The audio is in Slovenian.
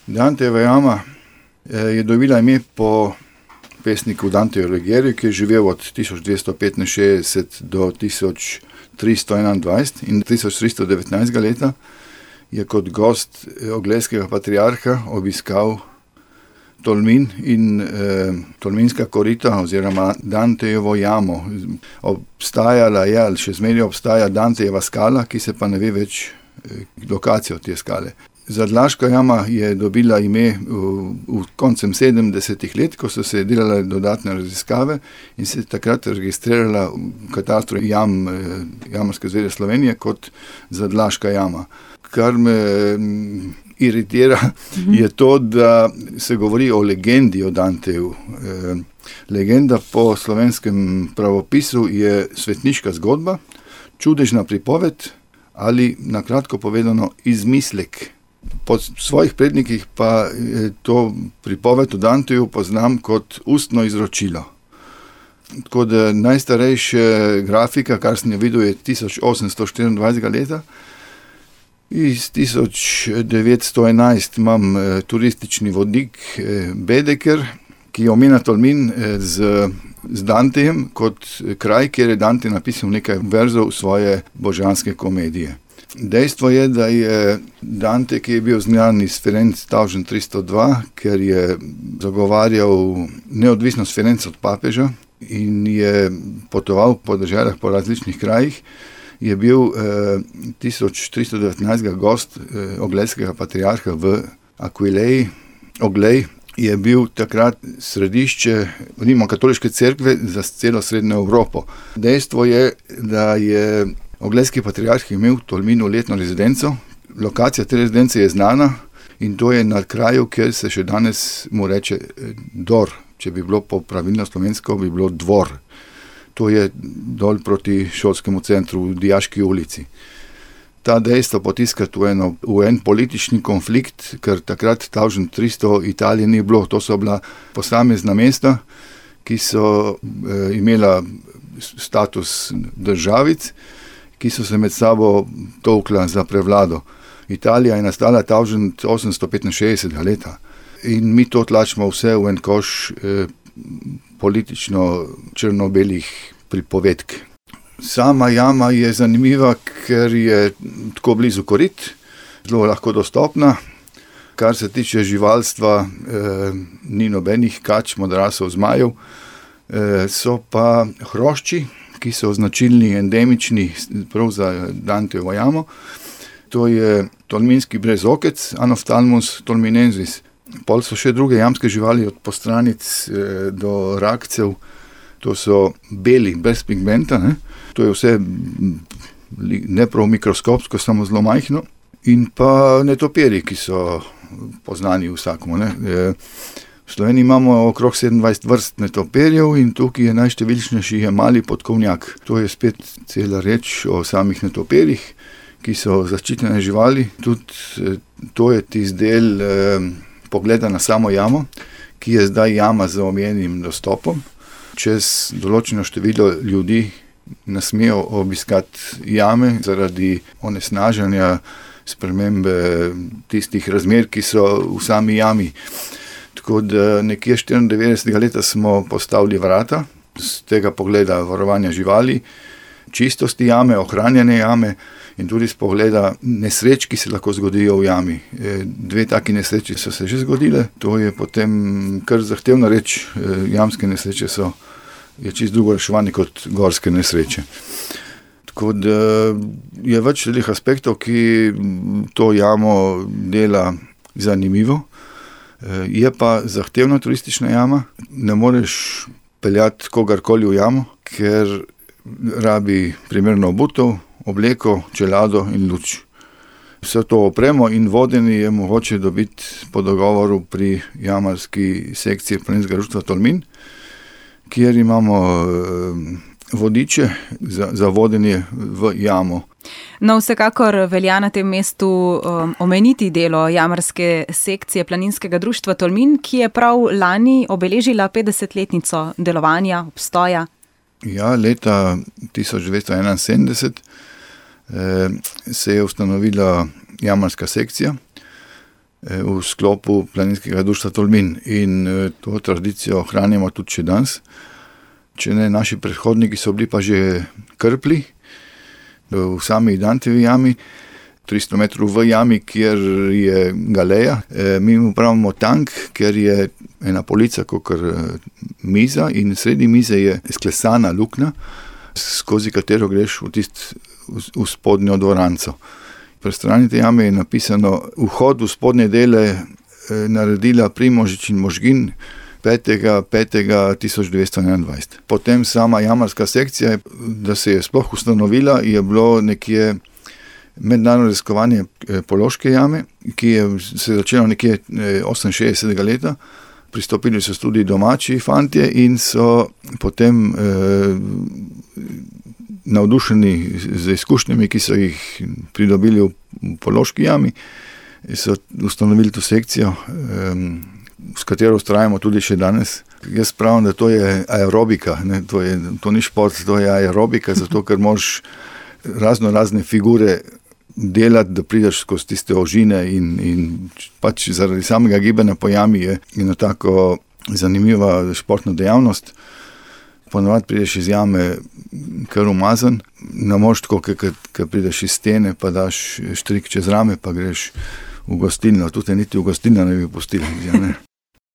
Dantejeva jama je dobila ime po pesniku Danteju Alighieri, ki je živel od 1265 do 1321 in 1319 leta je kot gost oglejskega patriarha obiskal Tolmin in Tolminska korita oziroma Dantejevo jamo. Obstajala je ali še zmeraj obstaja Dantejeva skala, ki se pa ne ve več lokacijo te skale. Zadlaška jama je dobila ime v koncem 70. let, ko so se delale dodatne raziskave in se takrat registrirala v katastru Jamarske zveze Slovenije kot Zadlaška jama. Kar me iritira, je to, da se govori o legendi o Danteju. Legenda po slovenskem pravopisu je svetniška zgodba, čudežna pripoved ali na kratko povedano izmislek. Po svojih prednikih pa to pripoved o Danteju poznam kot ustno izročilo. Tako da najstarejša grafika, kar sem jo videl, je 1824 leta. Iz 1911 imam turistični vodnik Bedeker, ki omenja Tolmin z Dantejem kot kraj, kjer je Dante napisal nekaj verzov svoje božanske komedije. Dejstvo je, da je Dante, ki je bil znan iz Firenc 1302, ker je zagovarjal neodvisnost Firenc od papeža in je potoval po deželah po različnih krajih, je bil 1319 gost oglejskega patriarha v Aquileji. Oglej je bil takrat središče rimokatoliške cerkve za celo srednjo Evropo. Dejstvo je, da je oglejski patriarh imel v Tolminu letno rezidenco. Lokacija te rezidence je znana in to je na kraju, kjer se še danes mu reče Dor. Če bi bilo po pravilno slovensko, bi bilo Dvor. To je dol proti šolskemu centru v Dijaški ulici. Ta dejstvo potiskati v en politični konflikt, ker takrat 1300 Italije ni bilo. To so bila posamezna mesta, ki so imela status državic, ki so se med sabo tolkla za prevlado. Italija je nastala 1865 leta in mi to tlačimo vse v en koš politično črno-belih pripovedk. Sama jama je zanimiva, ker je tako blizu korit, zelo lahko dostopna. Kar se tiče živalstva, ni nobenih kač, modrasov, zmajev, so pa hrošči, ki so značilni, endemični prav za Dantejevo jamo. To je tolminski brezokec, Anophthalmus tolminensis. Pol so še druge jamske živali od postranic do rakcev. To so beli, brez pigmenta, ne? To je vse ne prav mikroskopsko, samo zelo majhno. In pa netopirji, ki so poznani vsakomu, ne? V Sloveniji imamo okrog 27 vrst netopirjev in tukaj je najštevilčnejši je mali podkovnjak. To je spet cela reč o samih netopirjih, ki so zaščitene živali. Tudi to je tisti del pogleda na samo jamo, ki je zdaj jama z omejenim dostopom. Čez določeno število ljudi ne smejo obiskati jame zaradi onesnaženja, spremembe tistih razmer, ki so v sami jami. Tako da nekje 94. leta smo postavili vrata z tega pogleda varovanja živali, čistosti jame, ohranjene jame in tudi z pogleda nesreč, ki se lahko zgodijo v jami. 2 taki nesreči so se že zgodile, to je potem kar zahtevna reč, jamske nesreče je čisto drugo reševanje kot gorske nesreče. Tako da je več teh aspektov, ki to jamo dela zanimivo. Je pa zahtevna turistična jama, ne moreš peljati kogarkoli v jamo, ker rabi primerno obutev, obleko, čelado in luč. Vse to opremo in vodenje je mogoče dobiti po dogovoru pri jamarski sekciji Planinskega društva Tolmin, kjer imamo vodiče za vodenje v jamo. No, vsekakor velja na tem mestu omeniti delo jamarske sekcije Planinskega društva Tolmin, ki je prav lani obeležila 50-letnico delovanja, obstoja. Ja, leta 1971 se je ustanovila jamarska sekcija. v sklopu Planinskega društva Tolmin. In to tradicijo ohranjamo tudi še danes. Če ne, naši predhodniki so bili pa že krpli v sami Dantevi jami, 300 metrov v jami, kjer je galeja. Mi mu pravimo tank, ker je ena polica kakor miza in sredi mize je sklesana luknja, skozi katero greš v spodnjo dvoranco. Pri strani te jame je napisano: vhod v spodnje dele naredila Primožič in Možgin 5.5.1921. Potem sama jamarska sekcija, da se je sploh ustanovila, je bilo nekje mednarodno raziskovanje Pološke jame, ki je se začelo nekje 68. leta. Pristopili so tudi domači fantje in so potem navdušeni z izkušnjami, ki so jih pridobili v Pološki jami, so ustanovili to sekcijo, s katero ustrajamo tudi še danes. Jaz pravim, da to je aerobika, ne? To ni šport, to je aerobika, zato ker moraš razne figure delati, da prideš skozi tiste ožine in pač zaradi samega gibanja po jami je ena tako zanimiva športna dejavnost. Ponovadi prideš iz jame kar umazan, ne moreš tako, ker prideš iz stene, pa daš štrik čez rame, pa greš v gostilno. Tudi niti v gostilno ne bi pustili.